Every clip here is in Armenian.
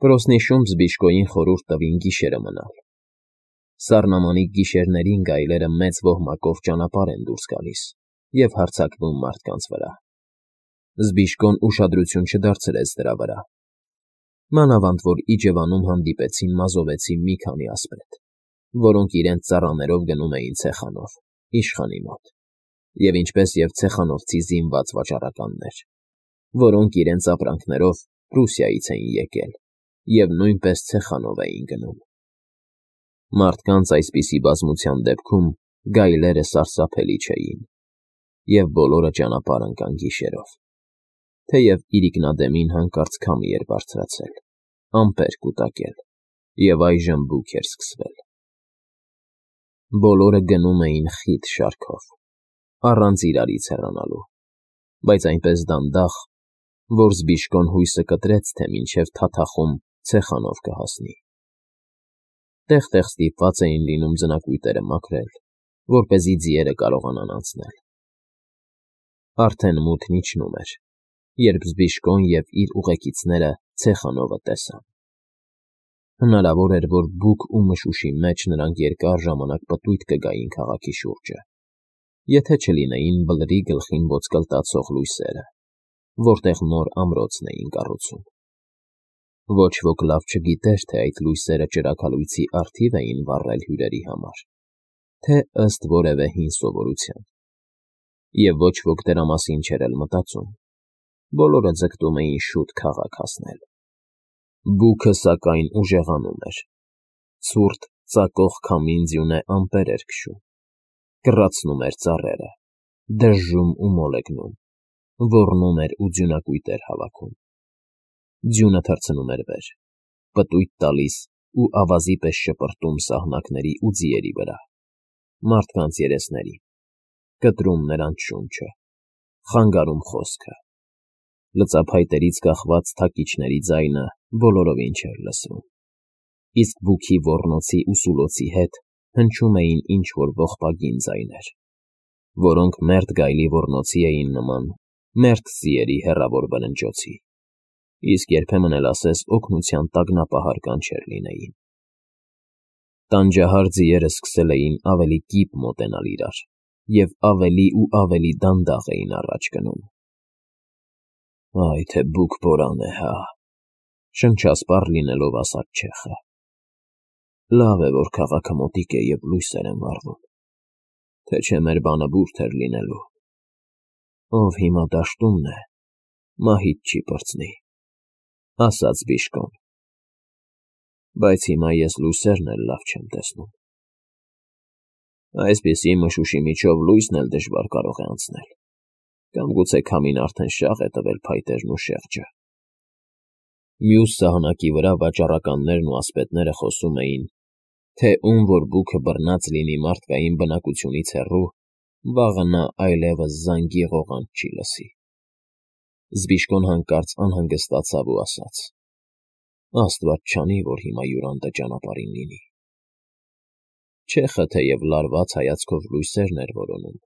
Պրոսնիշում Զբիշկոյին խորհուրդ տվին գիշերը մնալ։ Սառնամանիք գիշերներին գայլերը մեծ ոհմակով ճանապարհ են դուրս գալիս և հարձակվում մարդկանց վրա։ Զբիշկոն ուշադրություն չդարձրեց դրա վրա։ Մանավանդ որ իջևանում հանդիպեցին մազովեցի մի քանի ասպետ, որոնք իրենց ծառաներով գնում էին ցեխանով, իշխանի մոտ, և ինչպես և ցեխանովցի զինված վաճառականներ, որոնք իրենց ապրանքներով Պրուսիայից էին եկել և նույնպես ցեխանով էին գնում։ Մարդկանց այսպիսի բազմության դեպքում գայլերը սարսափելի չէին, և բոլորը ճանապարհ ընկան գիշերով, թեև իրիկնադեմին հանկարծ քամի էր բարձրացել, ամպեր կուտակել, և այժմ բուք էր սկսվել։ Բոլորը գնում էին խիտ շարքով, առանց իրարից հեռանալու, բայց այնպես դանդաղ, որ Զբիշկոն հույսը կտրեց, թե մինչև թաթախում ցեխանով կհասնի։ Տեղ֊տեղ ստիպված էին լինում ձնակույտերը մաքրել, որպեսզի ձիերը կարողանան անցնել։ Արդեն մութն իջնում էր, երբ Զբիշկոն և իր ուղեկիցները ցեխանովը տեսան։ Հնարավոր էր, որ բուք ու մշուշի մեջ նրանք երկար ժամանակ պտույտ կգային քաղաքի շուրջը, եթե չլինեին Բլրի գլխին ոսկլտացող լույսերը, որտեղ նոր ամրոցն էին կառուցում։ Ոչ ոք լավ չգիտեր, թե այդ լույսերը ճրագալույցի առթիվ էին վառել հյուրերի համար, թե ըստ որևէ հին սովորության, և ոչ ոք դրա մասին չէր էլ մտածում, բոլորը ձգտում էին շուտ քաղաք հասնել։ Բուքը, սակայն, ուժեղանում էր, ցուրտ ծակող քամին ձյունե ամպեր էր քշում, կռացնում էր ծառերը, դժժում ու մոլեգնում, ոռնում էր ու ձյունակույտեր հավաքում։ Ձյունը թռցնում էր վեր, պտույտ տալիս ու ավազի պես շպրտում սահնակների ու ձիերի վրա, մարդկանց երեսներին, կտրում նրանց շունչը, խանգարում խոսքը։ Լծափայտերից կախված թակիչների ձայնը բոլորովին չէր լսվում, իսկ բուքի ոռնոցի ու սուլոցի հետ հնչում էին ինչ-որ ողբագին ձայներ, որոնք մերթ գայլի ոռնոցի էին նման, մերթ ձիերի հեռավոր վրնջոցի, իսկ երբեմն էլ ասես օգնության տագնապահար կանչեր լինեին։ Տանջահար ձիերը սկսել էին ավելի կիպ մոտենալ իրար և ավելի ու ավելի դանդաղ էին առաջ գնում։ «Այ թե բուք բորան է, հա», շնչասպառ լինելով ասաց չեխը։ «Լավ է, որ քաղաքը մոտիկ է և լույսեր են վառվում, թե չէ մեր բանը բուրդ էր լինելու։ Ով հիմա դաշտումն է, մահից չի պրծնի», ասաց Զբիշկոն։ «Բայց հիմա ես լույսերն էլ լավ չեմ տեսնում։ Այսպիսի մշուշի միջով լույսն էլ դժվար կարող է անցնել, կամ գուցե քամին արդեն շաղ է տվել փայտերն ու շեղջը»։ Մյուս սահնակի վրա վաճառականներն ու ասպետները խոսում էին, թե ում որ բուքը բռնած լինի մարդկային բնակությունից հեռու, վաղը նա այլևս զանգի ղողանջ չի լսի։ Զբիշկոն հանկարծ անհանգստացավ ու ասաց. «Աստված չանի, որ հիմա հյուրանտը ճանապարհին լինի»։ Չեխը թեև լարված հայացքով լույսերն էր որոնում,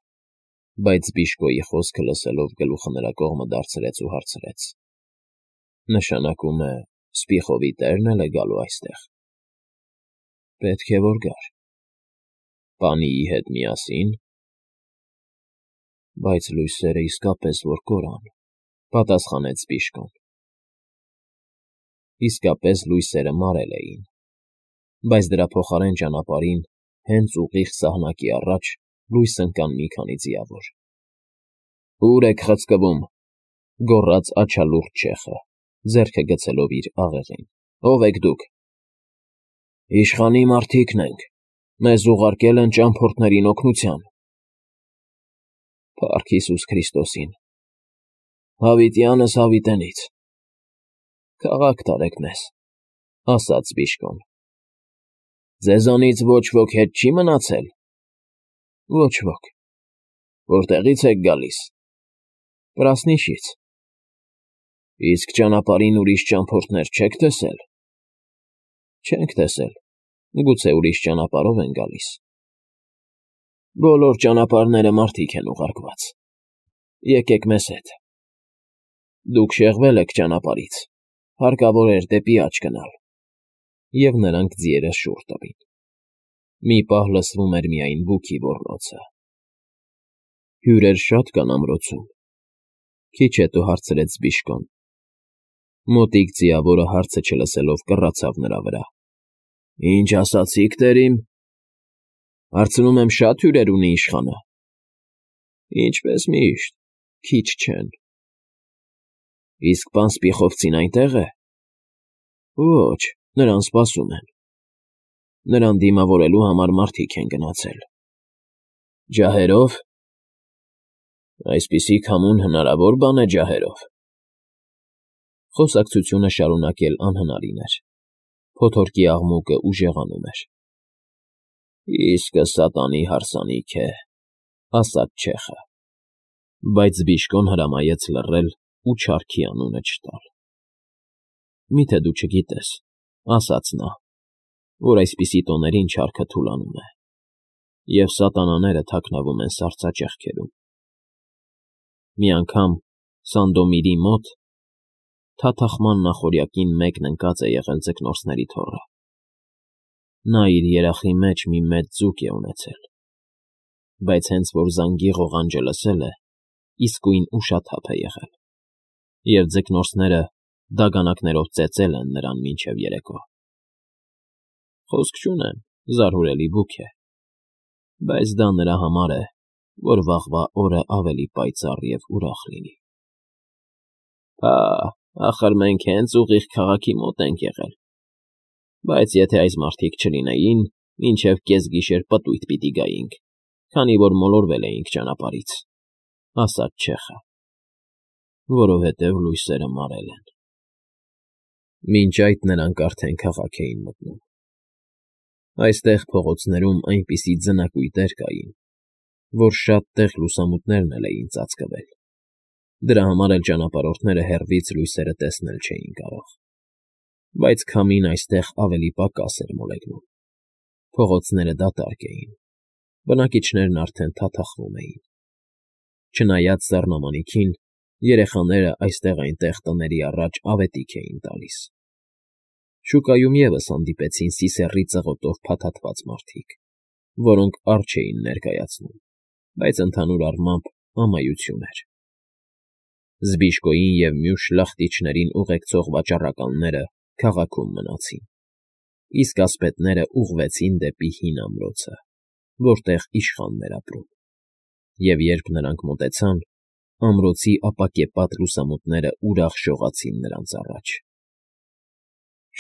բայց Զբիշկոյի խոսքը լսելով գլուխը նրա կողմը դարձրեց ու հարցրեց. «Նշանակում է, Սպիղովի տերն էլ է գալու այստեղ»։ «Պետք է որ գար»։ «Պանիի հետ միասի՞ն»։ «Բայց լույսերը իսկապես որ կորան», պատասխանեց Զբիշկոն։ Իսկապես լույսերը մարել էին, բայց դրա փոխարեն ճանապարհին, հենց ուղիղ սահնակի առաջ, լույս ընկան մի քանի ձիավոր։ «Ո՞ւր եք խցկվում», գոռաց աջալուռ չեխը, ձեռքը գցելով իր աղեղին։ «Ո՞վ եք դուք»։ «Իշխանի մարդիկն ենք, մեզ ուղարկել են ճամփորդներին օգնության»։ «Փառք Հիսուս Քրիստոսին, հավիտյանս հավիտենից, քաղաք տարեք մեզ», ասաց Զբիշկոն։ «Ձեզանից ոչ ոք հետ չի՞ մնացել»։ «Ոչ ոք»։ «Որտեղի՞ց եք գալիս»։ «Պրասնիշից»։ «Իսկ ճանապարհին ուրիշ ճամփորդներ չեք տեսել»։ «Չենք տեսել, գուցե ուրիշ ճանապարհով են գալիս»։ «Բոլոր ճանապարհները մարդիկ են ուղարկված։ Եկեք մեզ հետ»։ «Դուք շեղվել եք ճանապարհից, հարկավոր էր դեպի աջ գնալ։ Եվ նրանք ձիերը շուռ տվին։ Մի պահ լսվում էր միայն բուքի ոռնոցը։ Հյուրեր շատ կան ամրոցում, քիչ հետո հարցրեց Բիժկոն։ Մոտիկ ձիավորը հարցը չլսելով կռացավ նրա վրա։ Ինչ ասացիք, տերիմ։ Հարցնում եմ, շատ հյուրեր ունի իշխանը։ Ինչպես միշտ, քիչ չեն։ Իսկ պան Սպիխովցին այնտեղ է։ Ոչ, նրան սպասում են։ Նրան դիմավորելու համար մարդիկ են գնացել։ Ջահերով։ Այսպիսի քամուն հնարավոր բան է ջահերով։ Խոսակցությունը շարունակել անհնարին էր։ Փոթորկի աղմուկը ուժեղանում էր։ Իսկը սատանի հարսանիք է, ասաց չեխը, բայց Բիժկոն հրամայեց լռել ու չարքի անունը չտալ։ Միթե դու չգիտես, ասաց նա, որ այսպիսի տոներին չարքը թուլանում է, և սատանաները թաքնվում են սառցաճեղքերում։ Մի անգամ Սանդոմիրի մոտ թաթախման նախօրյակին մեկն ընկած է եղել ձկնորսների թոռը։ Նա իր երախի մեջ մի մեծ ձուկ է ունեցել, բայց հենց որ զանգի ղողանջը լսել է, իսկույն ուշաթափ է եղել, և ձկնորսները դագանակներով ծեծել են նրան մինչև երեկո։ Խոսք չունեմ, զարհուրելի բուք է, բայց դա նրա համար է, որ վաղվա օրը ավելի պայծառ և ուրախ լինի։ Հա, ախր մենք հենց ուղիղ քաղաքի մոտ ենք եղել, բայց եթե այս մարդիկ չլինեին, մինչև կեսգիշեր պտույտ պիտի գայինք, քանի որ մոլորվել էինք ճանապարհից, ասաց չեխը, որովհետև լույսերը մարել են։ Մինչ այդ նրանք արդեն քաղաք էին մտնում։ Այստեղ փողոցներում այնպիսի ձնակույտեր կային, որ շատ տեղ լուսամուտներն էլ էին ծածկվել։ Դրա համար էլ ճանապարհորդները հեռվից լույսերը տեսնել չէին կարող։ Բայց քամին այստեղ ավելի պակաս էր մոլեգնում։ Փողոցները դատարկ էին, բնակիչներն արդեն թաթախվում էին։ Չնայած սառնամանիքին, երեխաները այստեղ-այնտեղ տների առաջ ավետիք էին տալիս։ Շուկայում ևս հանդիպեցին սիսեռի ծղոտով փաթաթված մարդիկ, որոնք առ չէին ներկայացնում, բայց ընդհանուր առմամբ ամայություն էր։ Զբիժկոյին և մյուս շլախտիչներին ուղեկցող վաճառականները քաղաքում մնացին, իսկ ասպետները ուղղվեցին դեպի հին ամրոցը, որտեղ իշխանն էր ապրում, և երբ նրանք մոտեցան, ամրոցի ապակեպատ լուսամուտները ուրախ շողացին նրանց առաջ։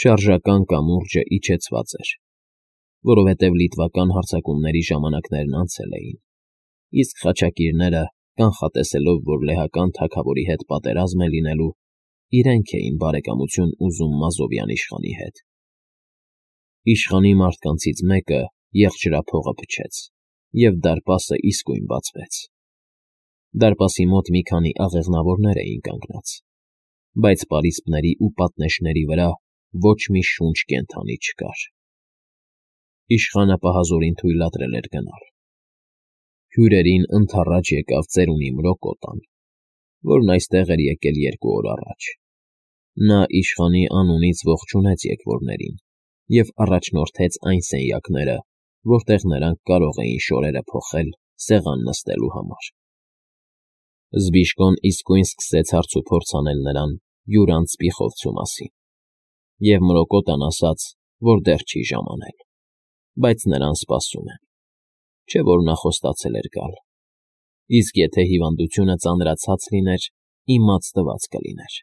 Շարժական կամուրջը իջեցված էր, որովհետև լիտվական հարձակումների ժամանակներն անցել էին, իսկ խաչակիրները, կանխատեսելով, որ լեհական թագավորի հետ պատերազմ է լինելու, իրենք էին բարեկամություն ուզում Մազովյան իշխանի հետ։ Իշխանի մարդկանցից մեկը եղջրափողը փչեց, և դարպասը իսկույն բացվեց։ Դարպասի մոտ մի քանի աղեղնավորներ էին կանգնած, բայց պարիսպների ու պատնեշների վրա ոչ մի շունչ կենդանի չկար։ Իշխանը պահազորին թույլատրել էր գնալ։ Հյուրերին ընդառաջ եկավ ծերունի Մրոկոտան, որն այստեղ էր եկել 2 օր առաջ։ Նա իշխանի անունից ողջունեց եկվորներին և առաջնորդեց այն սենյակները, որտեղ նրանք կարող էին շորերը փոխել սեղան նստելու համար։ Զբիժկոն իսկույն սկսեց հարցուփորձ անել նրան յուրանց Սպիխովցու մասին, և Մրոկոտան ասաց, որ դեռ չի ժամանել, բայց նրան սպասում են, չէ՞ որ նա խոստացել էր գալ, իսկ եթե հիվանդությունը ծանրացած լիներ, իմաց կլիներ։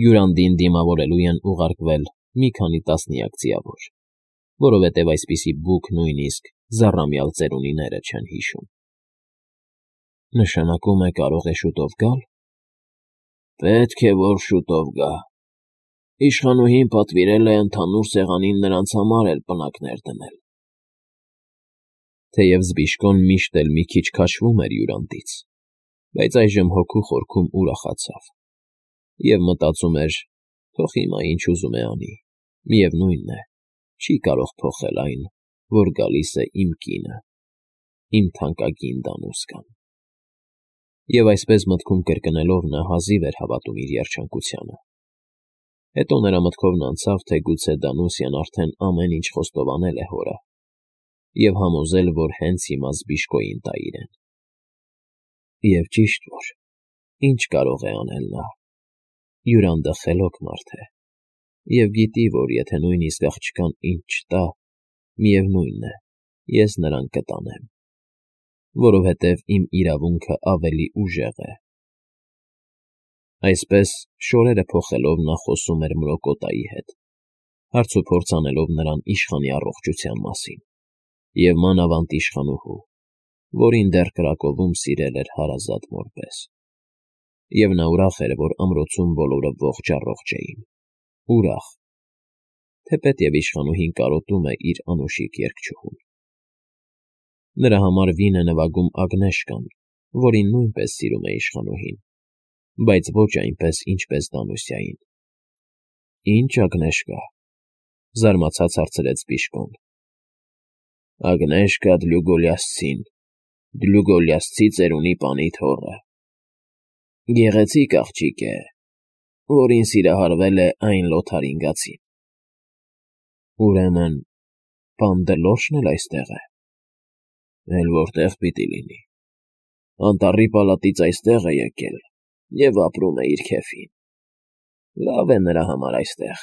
Յուրանդին դիմավորելու են ուղարկվել մի քանի տասնյակ ձիավոր, որովհետև այսպիսի բուք նույնիսկ զառամյալ ծերունիները չեն հիշում։ Նշանակում է կարող է շուտով գալ։ Պետք է, որ շուտով գա։ Իշխանուհին պատվիրել է ընդհանուր սեղանին նրանց համար էլ պնակներ դնել։ Թեև Զբիժկոն միշտ էլ մի քիչ քաշվում էր յուրանդից, բայց այժմ հոգու խորքում ուրախացավ և մտածում էր, թող հիմա ինչ ուզում է անի, միևնույն է, չի կարող փոխել այն, որ գալիս է իմ կինը, իմ թանկագին դանուսկան։ Եվ այսպես մտքում կրկնելով նա հազիվ էր հավատում իր երջանկությանը, Հետո նրա մտքովն անցավ, թե գուցե Դանուսյան արդեն ամեն ինչ խոստովանել է հորը և համոզել, որ հենց հիմա Զբիշկոյին տա իրեն։ Եվ ճիշտ որ, ինչ կարող է անել նա։ Յուրանդը խելոք մարդ է, և գիտի, որ եթե նույնիսկ աղջկան ինձ չտա, միևնույն է, ես նրան կտանեմ, որովհետև իմ իրավունքը ավելի ուժեղ է։ Այսպես, շորերը փոխելով նա խոսում էր Մրոկոտայի հետ, հարցուփորձ անելով նրան իշխանի առողջության մասին, և մանավանդ իշխանուհու, որին դեռ Կրակովում սիրել էր հարազատ մոր պես։ Եվ նա ուրախ էր, որ ամրոցում բոլորը ողջ էին, ուրախ, թեպետև իշխանուհին կարոտում է իր անուշիկ երգչուհուն։ Նրա համար վին է նվագում Ագնեշկան, որին նույնպես սիրում է իշխանուհին, բայց ոչ այնպես, ինչպես Դանուսյային։ Ի՞նչ Ագնեշկա, զարմացած հարցրեց Զբիշկոն։ Ագնեշկա Դլյուգոլիասցին, Դլյուգոլիասցի ծերունի պանի թոռը։ Գեղեցիկ աղջիկ է, որին սիրահարվել է այն Լոթարինգացին։ Ուրեմն, պան Դլորշն էլ այստեղ է։ Էլ որտեղ պիտի լինի։ Անտառի պալատից այստեղ է եկել և ապրում է իր քեֆին։ Լավ է նրա համար այստեղ։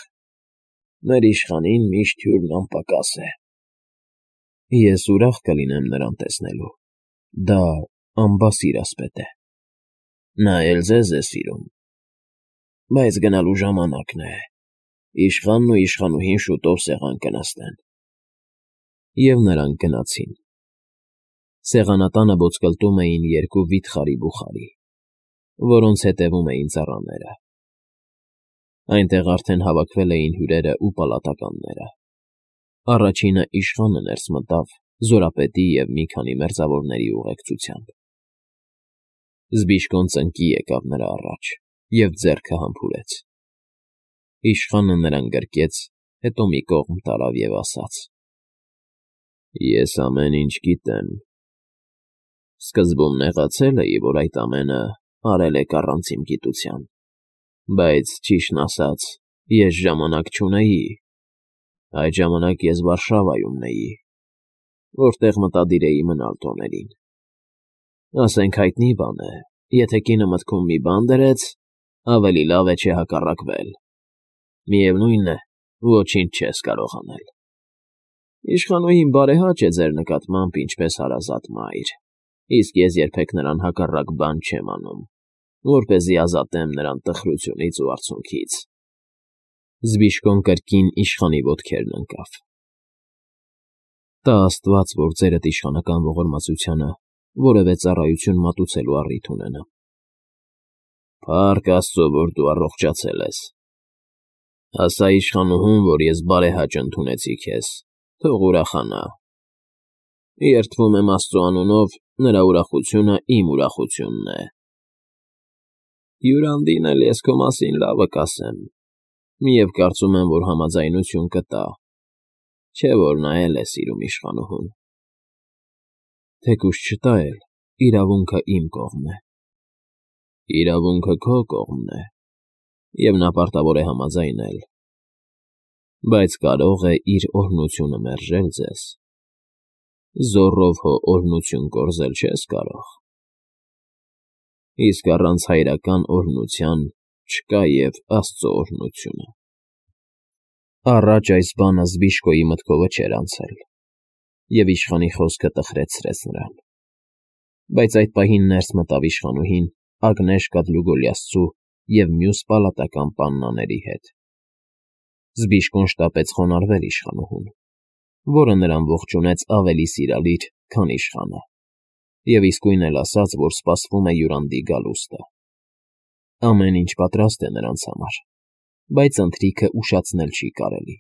Մեր իշխանին միշտ հյուրն անպակաս է։ Ես ուրախ կլինեմ նրան տեսնելու։ Դա անբասիր ասպետ է։ Նա էլ ձեզ է սիրում։ Բայց գնալու ժամանակն է։ Իշխանն ու իշխանուհին շուտով սեղան կնստեն։ Եվ նրանք գնացին։ Սեղանատանը ոսկլտում էին երկու վիթխարի բուխարի, որոնց հետևում էին ծառաները։ Այնտեղ արդեն հավաքվել էին հյուրերը ու պալատականները։ Առաջինը իշխանը ներս մտավ զորապետի և մի քանի մերձավորների ուղեկցությամբ։ Զբիշկոն ծնկի եկավ նրա առաջ և ձեռքը համբուրեց։ Իշխանը նրան գրկեց, հետո մի կողմ տարավ և ասաց. Ես ամեն ինչ գիտեմ։ Սկզբում նեղացել էի, որ այդ ամենը արել եք առանց իմ գիտության, բայց ճիշտն ասած, ես ժամանակ չունեի։ Այդ ժամանակ ես Վարշավայում էի, որտեղ մտադիր էի մնալ տոներին։ Ասենք հայտնի բան է, եթե կինը մտքում մի բան դրեց, ավելի լավ է չհակառակվել։ Միևնույն է, ոչինչ չես կարող անել։ Իշխանուհին բարեհաճ է ձեր նկատմամբ ինչպես հարազատ մայր, իսկ ես երբեք նրան հակառակ բան չեմ անում, որպեսզի ազատեմ նրան տխրությունից ու արցունքից։ Զբիշկոն կրկին իշխանի ոտքերն ընկավ։ Տա Աստված, որ ձերդ իշխանական ողորմածությանը որևէ ծառայություն մատուցելու առիթ ունենամ։ Փառք Աստծո, որ դու առողջացել ես։ Ասա իշխանուհուն, որ ես բարեհաճ ընդունեցի քեզ, թող ուրախանա։ Երդվում եմ Աստծո անունով, նրա ուրախությունը իմ ուրախությունն է։ Յուրանդին էլ ես քո մասին լավը կասեմ, և կարծում եմ, որ համաձայնություն կտա, չէ՞ որ նա էլ է սիրում իշխանուհուն։ Թեկուզ չտա էլ, իրավունքը իմ կողմն է։ Իրավունքը քո կողմն է, և նա պարտավոր է համաձայնել, բայց կարող է իր օրհնությունը մերժել ձեզ։ Զոռով հո օրհնություն կորզել չես կարող։ Իսկ առանց հայրական օրհնության չկա և Աստծո օրհնությունը։ Առաջ այս բանը Զբիշկոյի մտքովը չէր անցել, և իշխանի խոսքը տխրեցրեց նրան։ Բայց այդ պահին ներս մտավ իշխանուհին Ագնեշկա Դլյուգոլիասցու և մյուս պալատական պաննաների հետ։ Զբիշկոն շտապեց խոնարհվել իշխանուհուն, որը նրան ողջունեց ավելի սիրալիր, քան իշխանը, և իսկույն էլ ասաց, որ սպասվում է յուրանդի գալուստը։ Ամեն ինչ պատրաստ է նրանց համար, բայց ընթրիքը ուշացնել չի կարելի։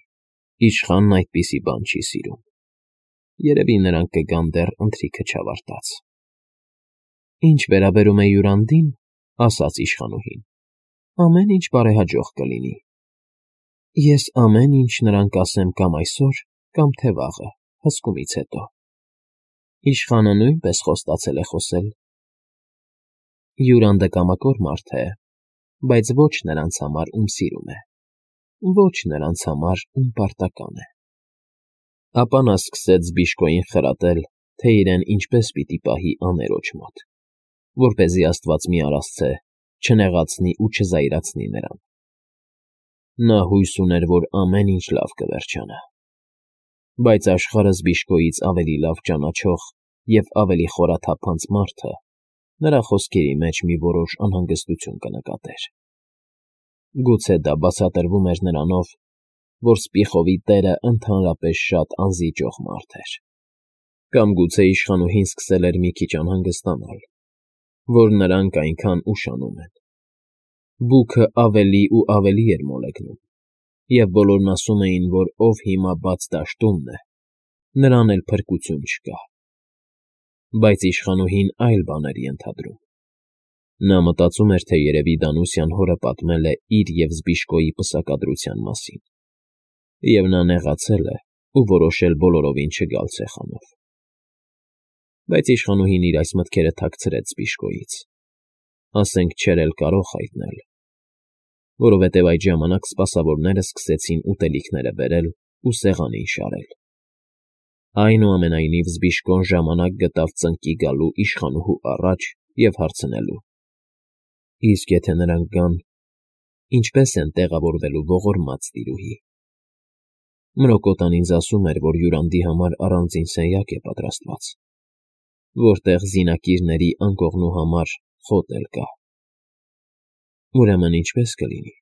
Իշխանն այդպիսի բան չի սիրում։ Երևի նրանք կգան դեռ ընթրիքը չավարտած։ Ինչ վերաբերում է յուրանդին, ասաց իշխանուհին, ամեն ինչ բարեհաջող կլինի։ Ես ամեն ինչ նրան կասեմ կամ այսօր, կամ թե վաղը, հսկումից հետո։ Իշխանը նույնպես խոստացել է խոսել։ Յուրանդը կամակոր մարդ է, բայց ոչ նրանց համար, ում սիրում է։ ոչ նրանց համար, ում պարտական է։ Ապա նա սկսեց Զբիշկոյին խրատել, թե իրեն ինչպես պիտի պահի աներոջ մոտ, որպեսզի աստված մի արասցե չնեղացնի ու չզայրացնի նրան։ Նա հույս ուներ, որ ամեն ինչ լավ կվերջանա, բայց աշխարհը Զբիշկոյից ավելի լավ ճանաչող և ավելի խորաթափանց մարդը նրա խոսքերի մեջ մի որոշ անհանգստություն կնկատեր։ Գուցե դա բացատրվում էր նրանով, որ Սպիխովի տերը ընդհանրապես շատ անզիջող մարդ էր, կամ գուցե իշխանուհին սկսել էր մի քիչ անհանգստանալ, որ նրանք այնքան ուշանում են։ Բուքը ավելի ու ավելի էր մոլեգնում, և բոլորն ասում էին, որ ով հիմա բաց դաշտումն է, նրան էլ փրկություն չկա։ Բայց իշխանուհին այլ բան էր ենթադրում։ Նա մտածում էր, թե երևի Դանուսյան հորը պատմել է իր և Զբիշկոյի պսակադրության մասին, և նա նեղացել է ու որոշել բոլորովին չգալ ցեխանով։ Բայց իշխանուհին իր այս մտքերը թաքցրեց Զբիշկոյից, ասենք չէր էլ կարող հայտնել, որովհետև այդ ժամանակ սպասավորները սկսեցին ուտելիքները բերել ու սեղանին շարել։ Այնուամենայնիվ Զբիշկոն ժամանակ գտավ ծնկի գալու իշխանուհու առաջ և հարցնելու. «Իսկ եթե նրանք գան, ինչպե՞ս են տեղավորվելու ողորմած տիրուհի»։ Մրոկոտան ինձ ասում էր, որ հյուրանդի համար առանձին սենյակ է պատրաստված, որտեղ զինակիրների անկողնու համար խոտ էլ կա։ Ուրեմն ինչպե՞ս կլինի։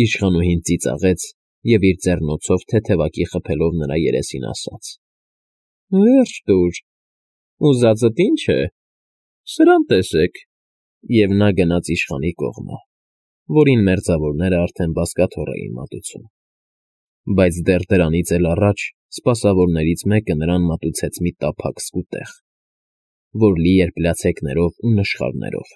Իշխանուհին ծիծաղեց և իր ձեռնոցով թեթևակի խփելով նրա երեսին ասաց. «Վերջ տուր, ուզածդ ինչ է, սրան տեսեք»։ Եվ նա գնաց իշխանի կողմը, որին մերձավորները արդեն բազկաթոռ էին մատուցում։ Բայց դեռ դրանից էլ առաջ սպասավորներից մեկը նրան մատուցեց մի տափակ սկուտեղ, որ լի էր պլացեկներով ու նշխարներով,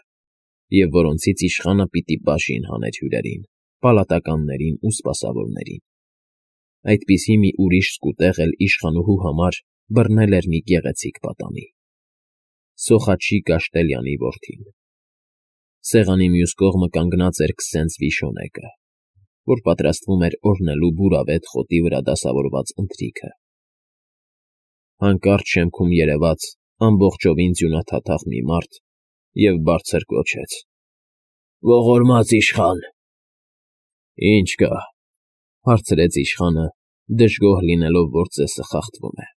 և որոնցից իշխանը պիտի բաժին հաներ հյուրերին, պալատականներին ու սպասավորներին։ Այդպիսի մի ուրիշ սկուտեղ էլ իշխանուհու համար բռնել էր մի գեղեցիկ պատանի՝ Սոխաչի Կաշտելյանի որդին։ Սեղանի մյուս կողմը կանգնած էր քսենց Վիշոնեկը, որ պատրաստվում էր օրհնելու բուրավետ խոտի վրա դասավորված ընթրիքը։ Հանկարծ շեմքում երևաց ամբողջովին ձյունաթաթախ մի մարդ և բարձր գոչեց. «Ողորմած իշխան»։ «Ինչ կա», հարցրեց իշխանը, դժգոհ լինելով, որ ծեսը խախտվում է։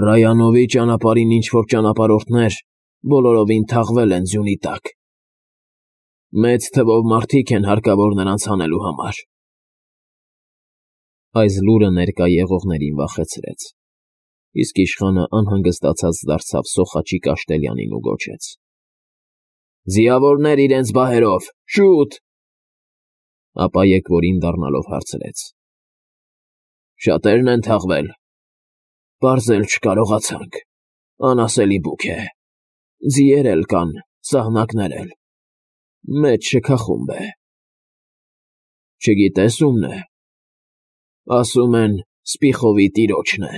«Ռայանովի ճանապարհին ինչ֊որ ճանապարհորդներ բոլորովին թաղվել են ձյունի տակ։ Մեծ թվով մարդիկ են հարկավոր նրանց հանելու համար»։ Այս լուրը ներկա եղողներին վախեցրեց, իսկ իշխանը անհանգստացած դարձավ Սոխաչի Կաշտելյանին ու գոչեց. «Ձիավորներ իրենց բահերով, շուտ»։ Ապա եկվորին դառնալով հարցրեց. «Շատե՞րն են թաղվել»։ «Պարզել չկարողացանք, անասելի բուք է, ձիեր էլ կան, սահնակներ էլ, մեծ շքախումբ է»։ «Չգիտե՞ս ումն է»։ «Ասում են Սպիխովի տիրոջն է»։